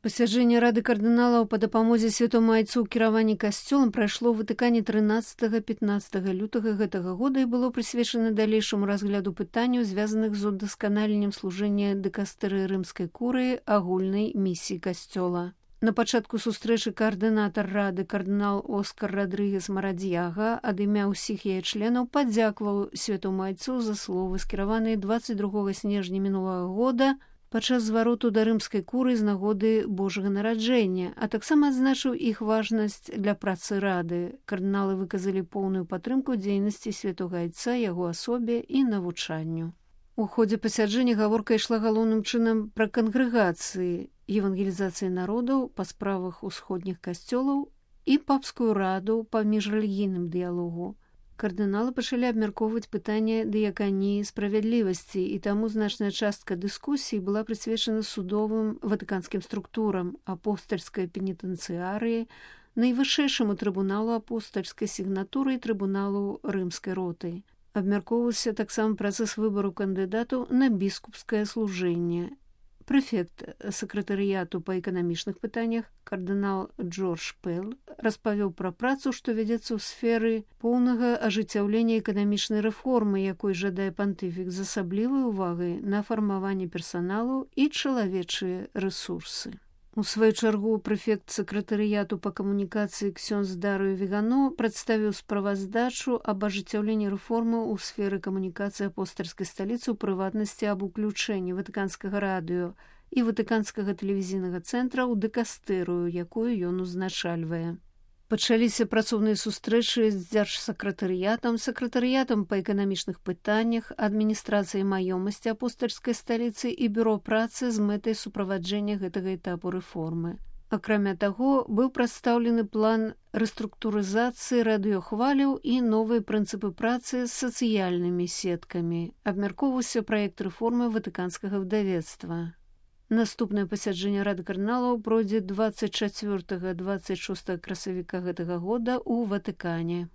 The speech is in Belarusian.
Пасяджэнне рады кардыналаў па дапамозе святому айцу ў кіраванні касцёлам прайшло ў Ватыкане 13-15 лютага гэтага года і было прысвечана далейшаму разгляду пытанняў, звязаных з удасканаленнем служэння дыкастэрыі рымскай курыі агульнай місіі касцёла. На пачатку сустрэчы каардынатар рады кардынал Оскар Радрыгес Марадзьяга ад імя ўсіх яе членаў падзякаваў святому айцу за словы, скіраваныя 22 снежня мінулага года падчас звароту да рымскай куры з нагоды Божага нараджэння, а таксама адзначыў іх важнасць для працы рады. Кардыналы выказалі поўную падтрымку дзейнасці святога айца, яго асобе і навучанню. У ходзе пасяджэння гаворка ішла галоўным чынам пра кангрэгацыі, евангелізацыі народаў па справах усходніх касцёлаў і папскую раду па міжрэлігійным дыялогу. Кардыналы пачалі абмяркоўваць пытанне дыяканіі справядлівасці, і таму значная частка дыскусій была прысвечана судовым ватыканскім структурам, апостальскай пенітэнцыярыі, найвышэйшаму трыбуналу апостальскай сігнатуры і трыбуналу рымскай роты. Абмяркоўваўся таксама працэс выбару кандыдатаў на біскупскае служэнне. Прэфект сакратарыяту па эканамічных пытаннях кардынал Джордж Пэл распавёў пра працу, што вядзецца ў сферы поўнага ажыццяўлення эканамічнай рэформы, якой жадае пантыфік з асаблівай увагай на фармаванне персаналу і чалавечыя рэсурсы. У сваю чаргу прэфект сакратарыяту па камунікацыі ксёндз Дарыё Вегано прадставіў справаздачу аб ажыццяўленні рэформы ў сферы камунікацыі апостальскай сталіцы, у прыватнасці аб уключэнні ватыканскага радыё і ватыканскага тэлевізійнага цэнтра ў дыкастэрыю, якую ён узначальвае. Пачаліся працоўныя сустрэчы з дзяржсакратарыятам, сакратарыятам па эканамічных пытаннях, адміністрацыяй маёмасці апостальскай сталіцы і бюро працы з мэтай суправаджэння гэтага этапу рэформы. Акрамя таго, быў прадстаўлены план рэструктурызацыі радыёхваляў і новыя прынцыпы працы з сацыяльнымі сеткамі. Абмяркоўваўся праект рэформы ватыканскага выдавецтва. Наступнае пасяджэнне рады кардыналаў пройдзе 24-26 красавіка гэтага года ў Ватыкане.